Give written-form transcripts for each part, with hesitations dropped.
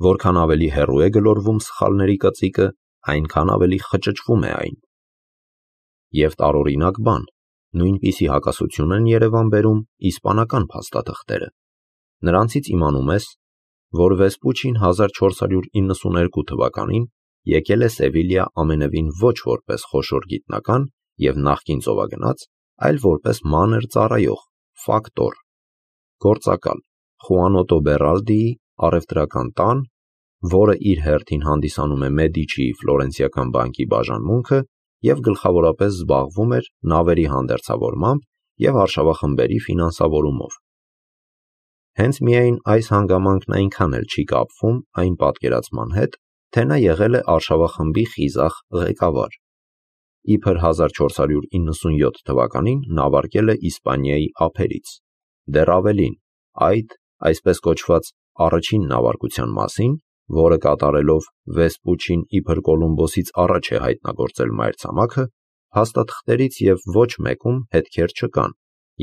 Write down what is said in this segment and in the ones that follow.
Որքան ավելի հեռու է գլորվում սխալների կծիկը, այնքան ավելի խճճվում է այն։ Եվ տարօրինակ բան, նույնպիսի հակասություն են երևան բերում իսպանական փաստաթղթերը։ Նրանցից իմանում ես, որ Վեսպուչին 1492 թվականին եկել է Սևիլիա ամենևին ոչ որպես խոշոր գիտնական և նախկին ծովագնաց, այլ որպես մանր ծառայող, ֆակտոր, գործակալ Խուանոտո Բերալդիի առևտրական տան, որը իր հերթին հանդիսանում է Մեդիչիի ֆլորենցիական բանկի բաժանմունքը և գլխավորապես զբաղվում էր նավերի հանդերձավորմամբ և արշավախմբերի ֆինանսավորումով։ Հենց միայն այս հանգամանքն այնքան էլ չի կապվում այն պատկերացման հետ, թե նա եղել է արշավախմբի խիզախ ղեկավար։ Իբր 1497 թվականին նավարկել է Իսպանիայի ափերից, դեռ ավելին, այդ այսպես կոչված առաջին նավարկության մասին, որը կատարելով Վեսպուչին իբր Կոլումբոսից առաջ է հայտնագործել մայրցամաքը, փաստաթղթերից և ոչ մեկում հետքեր չկան,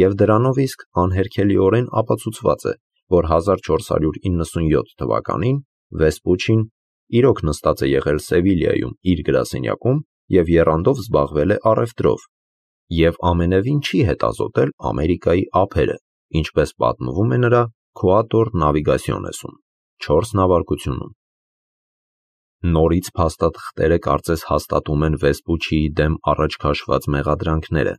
և դրանով իսկ անհերքելիորեն ապացուցված է, որ 1497 թվականին Վեսպուչին իրոք նստած է եղել Սևիլիայում իր գրասենյակում և եռանդով զբաղվել է առևտրով և ամենևին չի հետազոտել Ամերիկայի ափերը, ինչպես պատմվում է նրա Քուատոր նավիգասիոնեսում 4 նավարկությունում։ Նորից փաստաթղթերը կարծես հաստատում են Վեսպուչիի դեմ առաջ քաշված մեղադրանքները,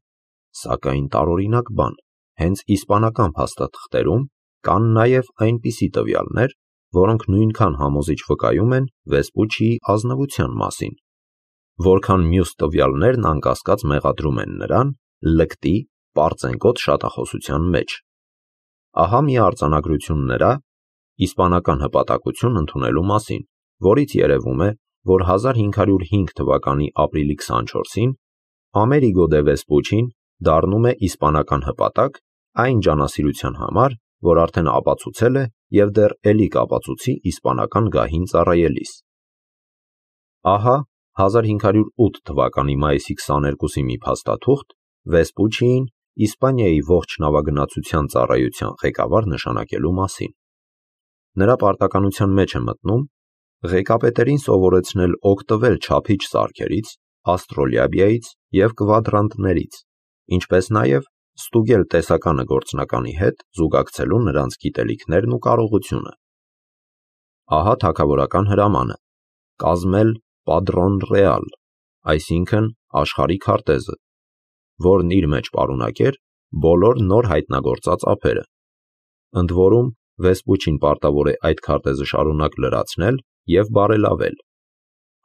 սակայն տարօրինակ բան, հենց իսպանական փաստաթղթերում կան նաև այնպիսի տվյալներ, որոնք նույնքան համոզիչ վկայում են Վեսպուչիի ազնվության մասին, որքան մյուս տվյալներն անկասկած մեղադրում են նրան լկտի, պարծենկոտ շատախոսության մեջ։ Ահա մի արձանագրություն նրա իսպանական հպատակություն ընդունելու մասին, որից երևում է, որ 1505 թվականի ապրիլի 24-ին Ամերիգո դե Վեսպուչին դառնում է իսպանական հպատակ այն ջանասիրության համար, որ արդեն ապացուցել է և դեռ էլի կապացուցի իսպանական գահին ծառայելիս։ Ահա 1508 թվականի մայիսի 22-ի մի փաստաթուղթ Վեսպուչիին Իսպանիայի ողջ նավագնացության ծառայության ղեկավար նշանակելու մասին։ Նրա պարտականության մեջ է մտնում ղեկապետերին սովորեցնել օգտվել չափիչ սարքերից, աստրոլաբիայից և կվադրանտներից, ինչպես նաև ստուգել տեսականը գործնականի հետ զուգակցելու նրանց գիտելիքներն ու կարողությունը։ Ահա թագավորական հրամանը՝ կազմել Padrón Real, այսինքն աշխարհի քարտեզը, որն իր մեջ պարունակեր բոլոր նոր հայտնագործած ափերը։ Ընդ որում Վեսպուչին պարտավոր է այդ քարտեզը շարունակ լրացնել և բարելավել։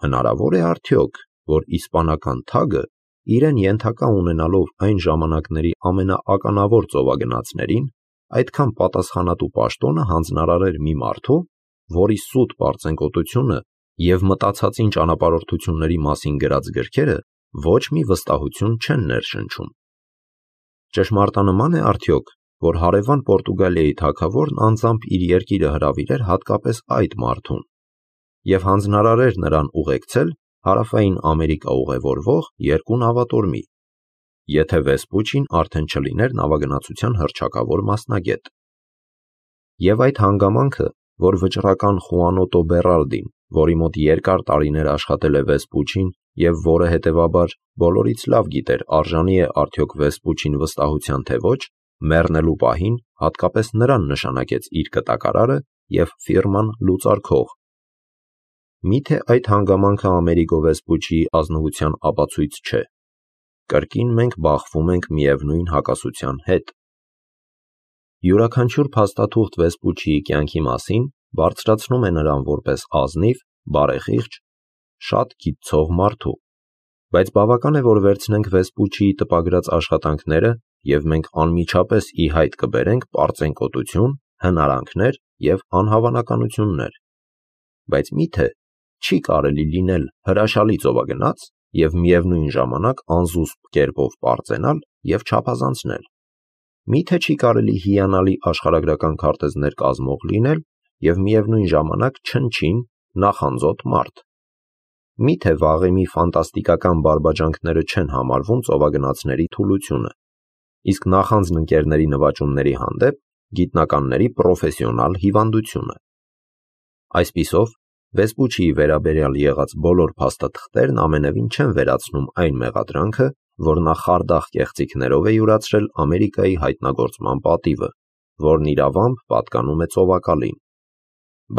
Հնարավոր է արդյոք, որ իսպանական թագը իրեն ենթակա ունենալով այն ժամանակների ամենաականավոր ծովագնացներին, այդքան պատասխանատու պաշտոնը հանձնարարեր մի մարդու, որի սուտ պարծենկոտությունը և մտածածին ճանապարհորդությունների մասին գրած գրքերը ոչ մի վստահություն չեն ներշնչում։ Ճշմարտանման է արդյոք, որ հարևան Պորտուգալիայի թագավորն անձամբ իր երկիրը հրավիրեր հատկապես այդ մարդուն և հանձնարարեր նրան ուղեկցել Հարավային Ամերիկա ուղևորվող 2 նավատորմի, եթե Վեսպուչին արդեն չլիներ նավագնացության հռչակավոր մասնագետ։ Եվ այդ հանգամանքը, որ վճռական Խուանոտո Բերալդին, որի մոտ երկար տարիներ աշխատել է Վեսպուչին և որը հետևաբար բոլորից լավ գիտեր արժանի է արդյոք Վեսպուչին վստահության թե ոչ, մեռնելու պահին հատկապես նրան նշանակեց իր կտակարարը և ֆիրման լուծարքող։ Միթե այդ հանգամանքը Ամերիգո Վեսպուչիի ազնվության ապացույց չէ։ Կրկին մենք բախվում ենք միևնույն հակասության հետ։ Յուրաքանչյուր փաստաթուղթ Վեսպուչիի կյանքի մասին բարձրացնում է նրան որպես ազնիվ, բարեխիղճ, շատ գիտցող մարդու, բայց բավական է, որ վերցնենք Վեսպուչիի տպագրած աշխատանքները և մենք անմիջապես ի հայտ կբերենք պարծենկոտություն, հնարանքներ և անհավանականություններ։ Բայց միթե չի կարելի լինել հրաշալի ծովագնաց և միևնույն ժամանակ անզուսպ կերպով պարծենալ և չափազանցնել։ Միթե չի կարելի հիանալի աշխարհագրական քարտեզներ կազմող լինել և միևնույն ժամանակ չնչին, նախանձոտ մարդ։ Միթե վաղեմի ֆանտաստիկական բարբաջանքները չեն համարվում ծովագնացների թուլությունը, իսկ նախանձն ընկերների նվաճումների հանդեպ գիտնականների պրոֆեսիոնալ հիվանդությունը։ Այսպիսով, Վեսպուչիի վերաբերյալ եղած բոլոր փաստաթղթերն ամենևին չեն վերացնում այն մեղադրանքը, որ նա խարդախ կեղծիքներով է յուրացրել Ամերիկայի հայտնագործման պատիվը, որն իրավամբ պատկանում է ծովակալին։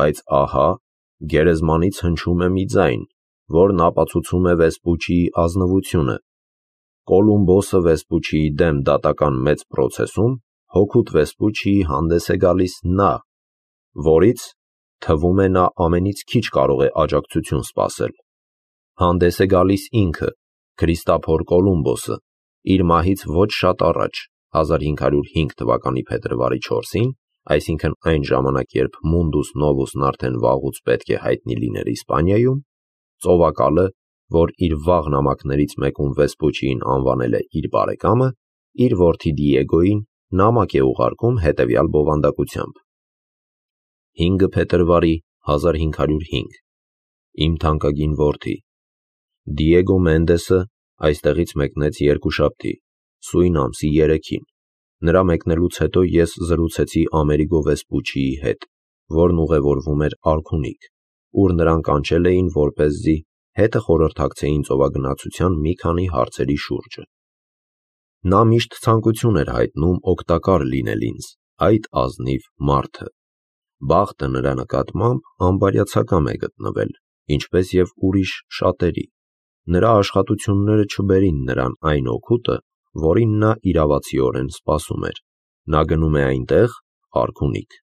Բայց ահա, գերեզմանից հնչում է մի ձայն, որն ապացուցում է Վեսպուչիի ազնվությունը։ Կոլումբոսը Վեսպուչիի դեմ դատական մեծ պրոցեսում հօգուտ Վեսպուչիի հանդես է գալիս նա, որից թվում է նա ամենից քիչ կարող է աջակցություն սպասել։ Հանդես է գալիս ինքը, Քրիստափոր Կոլումբոսը, իր մահից ոչ շատ առաջ, 1505 թվականի փետրվարի 4-ին, այսինքն այն ժամանակ, երբ Mundus Novus-ն արդեն վաղուց պետք է հայտնի լիներ Իսպանիայում, ծովակալը, որ իր վաղ նամակներից մեկում Վեսպուչիին անվանել է իր բարեկամը, իր որդի Դիեգոյին նամակ է ուղարկում հետևյալ բովանդակությամբ. 5 փետրվարի 1505 Իմ թանկագին որդի, Դիեգո Մենդեսը այստեղից մեկնեց երկուշաբթի, սույն ամսի 3-ին։ Նրա մեկնելուց հետո ես զրուցեցի Ամերիգո Վեսպուչիի հետ, որն ուղևորվում էր Արքունիք, ուր նրան կանչել էին, որպեսզի հետը խորհրդակցեին ծովագնացության մի քանի հարցերի շուրջը։ Նա միշտ ցանկություն էր հայտնում օգտակար լինել ինձ, այդ ազնիվ մարդը։ Բախտը նրա նկատմամբ անբարյացակամ է գտնվել, ինչպես և ուրիշ շատերի։ Նրա աշխատությունները չբերին նրան այն օգուտը, որին նա իրավացիորեն սպասում էր։ Նա գնում է այնտեղ, Արքունիք,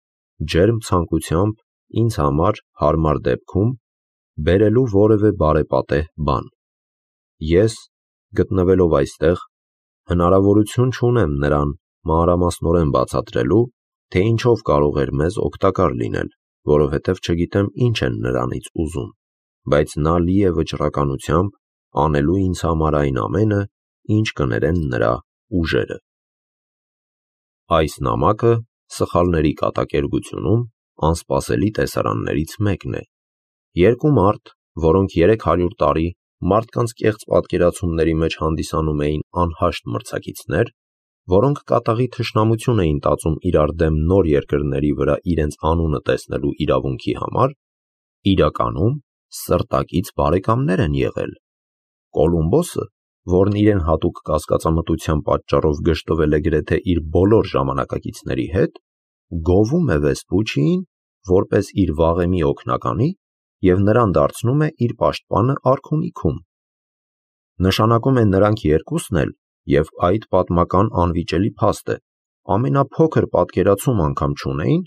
ջերմ ցանկությամբ ինձ համար հարմար դեպքում բերելու որևէ բարեպատեհ բան։ Ես, գտնվելով այստեղ, հնարավորություն չունեմ նրան մանրամասնորեն բացատրելու, թե ինչով կարող էր մեզ օգտակար լինել, որովհետև չգիտեմ ինչ են նրանից ուզում, բայց նա լի է վճռականությամբ անելու ինձ համար այն ամենը, ինչ կներեն նրա ուժերը։ Այս նամակը սխալների կատակերգությունում անսպասելի տեսարաններից մեկն է։ Երկու մարդ, որոնք 300 տարի մարդկանց կեղծ պատկերացումների մեջ հանդիսանում էին անհաշտ մրցակիցներ, որոնք կատաղի թշնամություն էին տածում իրար դեմ նոր երկրների վրա իրենց անունը տեսնելու իրավունքի համար, իրականում սրտակից բարեկամներ են եղել։ Կոլումբոսը, որն իրեն հատուկ կասկածամտության պատճառով գժտվել է գրեթե իր բոլոր ժամանակակիցների հետ, գովում է Վեսպուչիին որպես իր վաղեմի օգնականի և նրան դարձնում է իր պաշտպանը Արքունիքում։ Նշանակում է նրանք երկուսն էլ, և այդ պատմական անվիճելի փաստ է, ամենափոքր պատկերացում անգամ չունեին,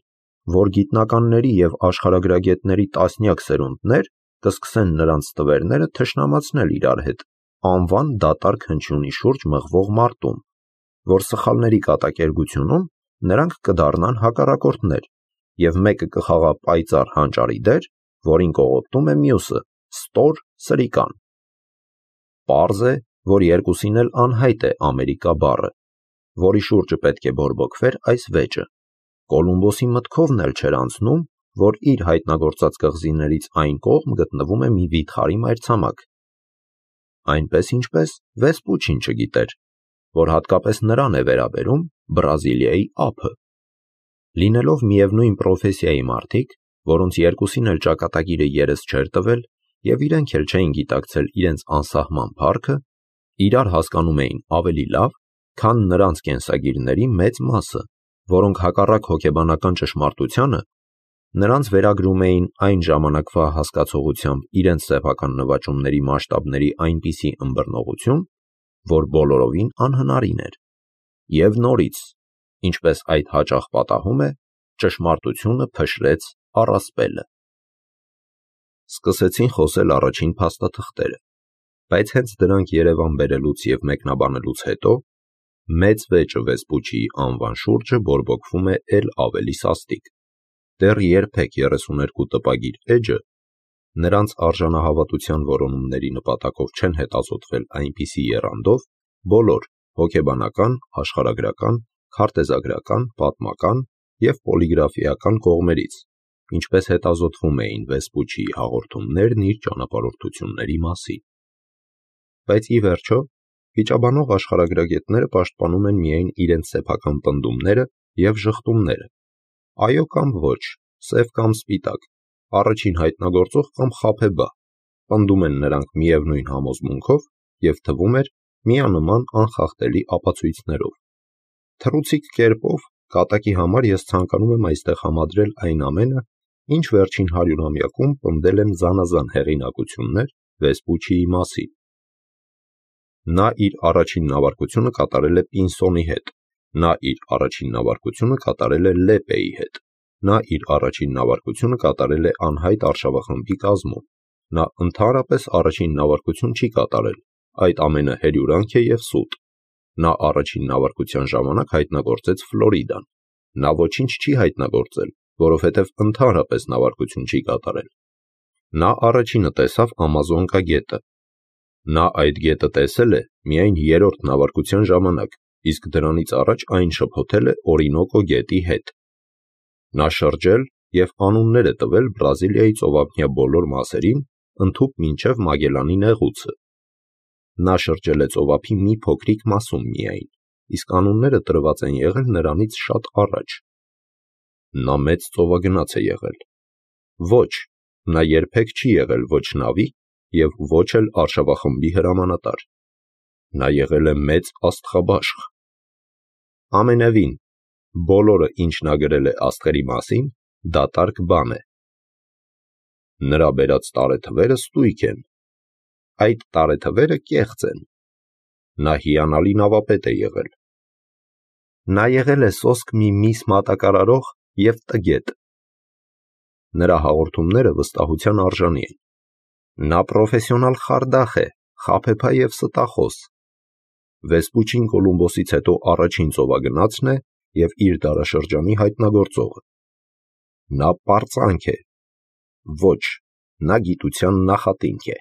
որ գիտնականների և աշխարհագրագետների տասնյակ սերունդներ կսկսեն նրանց ստվերները թշնամացնել իրար հետ անվան դատարկ հնչյունի շուրջ մղվող մարտում, որ սխալների կատակերգությունում նրանք կդառնան հակառակորդներ, և մեկը կխաղա պայծառ հանճարի դեր, որին կողոպտում է մյուսը ստոր սրիկան։ Պարզ է, որ երկուսին էլ անհայտ է Ամերիկա բառը, որի շուրջը պետք է բորբոքվեր այս վեճը։ Կոլումբոսի մտքովն էլ չէր անցնում, որ իր հայտնագործած կղզիներից այն կողմ գտնվում է մի վիթխարի մայրցամաք։ Այնպես ինչպես Վեսպուչին չգիտեր, որ հատկապես նրան է վերաբերում Բրազիլիայի ափը։ Լինելով միևնույն պրոֆեսիայի մարդիկ, որոնց երկուսին էլ ճակատագիրը երես չէր տվել և իրենք էլ չէին գիտակցել իրենց անսահման փառքը, իրար հասկանում էին ավելի լավ, քան նրանց կենսագիրների մեծ մասը, որոնք հակառակ հոգեբանական ճշմարտությանը նրանց վերագրում էին այն ժամանակվա հասկացողությամբ իրենց սեփական նվաճումների մասշտաբների այնպիսի ըմբռնողություն, որ բոլորովին անհնարին էր։ Եվ նորից, ինչպես այդ հաճախ պատահում է, ճշմարտությունը փշրեց առասպելը։ Սկսեցին խոսել առաջին փաստաթղթերը, բայց հենց դրանք Երևան բերելուց և մեկնաբանելուց հետո մեծ վեճը Վեսպուչիի անվան շուրջը բորբոքվում է էլ ավելի սաստիկ։ Դեռ երբեք 32 տպագիր էջը նրանց արժանահավատության որոնումների նպատակով չեն հետազոտվել այնպիսի եռանդով բոլոր հոգեբանական, աշխարհագրական, քարտեզագրական, պատմական և պոլիգրաֆիական կողմերից, ինչպես հետազոտվում էին Վեսպուչիի հաղորդումներն իր ճանապարհորդությունների մասին։ Բայց ի վերջո, վիճաբանող աշխարհագրագետները պաշտպանում են միայն իրենց սեփական պնդումները և ժխտումները, այո կամ ոչ, սև կամ սպիտակ, առաջին հայտնագործող կամ խաբեբա, պնդում են նրանք միևնույն համոզմունքով և թվում էր միանման անխախտելի ապացույցներով։ Թռուցիկ կերպով կատակի համար ես ցանկանում եմ այստեղ համադրել այն ամենը, ինչ վերջին 100-ամյակում պնդել են զանազան հեղինակություններ Վեսպուչիի մասին։ Նա իր առաջին նավարկությունը կատարել է Պինսոնի հետ, նա իր առաջին նավարկությունը կատարել է Լեպեի հետ, նա իր առաջին նավարկությունը կատարել է անհայտ արշավախմբի կազմում, նա ընդհանրապես առաջին նավարկություն չի կատարել, այդ ամենը հերյուրանք է և սուտ։ Նա առաջին նավարկության ժամանակ հայտնագործեց Ֆլորիդան, նա ոչինչ չի հայտնագործել, որովհետև ընդհանրապես նավարկություն չի կատարել։ Նա առաջինը տեսավ Ամազոնկա գետը։ Նա այդ գետը տեսել է միայն 3-րդ նավարկության ժամանակ, իսկ դրանից առաջ այն շփոթել է Օրինոկո գետի հետ։ Նա շրջել և անուններ է տվել Բրազիլիայի ծովափնյա բոլոր մասերին, ընդհուպ մինչև Մագելանի նեղուցը։ Նա շրջել է ծովափի մի փոքրիկ մասում միայն, իսկ անունները տրված են եղել նրանից շատ առաջ։ Նա մեծ ծովագնաց է եղել։ Ոչ, նա երբեք չի եղել ոչ նավի և ոչ էլ արշավախմբի հրամանատար։ Նա եղել է մեծ աստղաբաշխ։ Ամենևին, բոլորը, ինչ նա գրել է աստղերի մասին, դատարկ բան է։ Նրա բերած տարեթվերը ստույգ են։ Այդ տարեթվերը կեղծ են։ Նա հիանալի նավապետ է եղել։ Նա եղել է սոսկ մի միս մատակարարող և տգետ։ Նրա հաղորդումները վստահության արժանի են։ Նա պրոֆեսիոնալ խարդախ է, խաբեբա և ստախոս։ Վեսպուչին Կոլումբոսից հետո առաջին ծովագնացն է և իր դարաշրջանի հայտնագործողը։ Նա պարծանք է։ Ոչ, նա գիտության նախատինք է։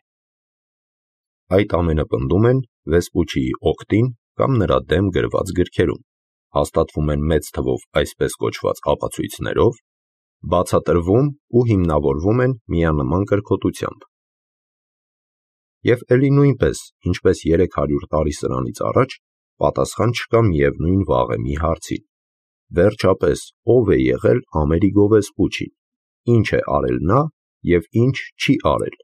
Այդ ամենը պնդում են Վեսպուչիի օգտին կամ նրա դեմ գրված գրքերում, հաստատվում են մեծ թվով այսպես կոչված ապացույցներով, բացատրվում ու հիմնավորվում են միանման կրքոտությամբ։ Եվ էլի նույնպես, ինչպես 300 տարի սրանից առաջ, պատասխան չկա միևնույն վաղեմի հարցին։ Վերջապես, ո՞վ է եղել Ամերիգո Վեսպուչին, ինչ է արել նա և ինչ չի արել։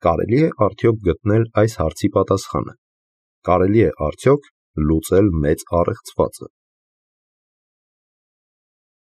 Կարելի է արդյոք գտնել այս հարցի պատասխանը։ Կարելի է արդյոք լուծել մեծ առեղծվածը։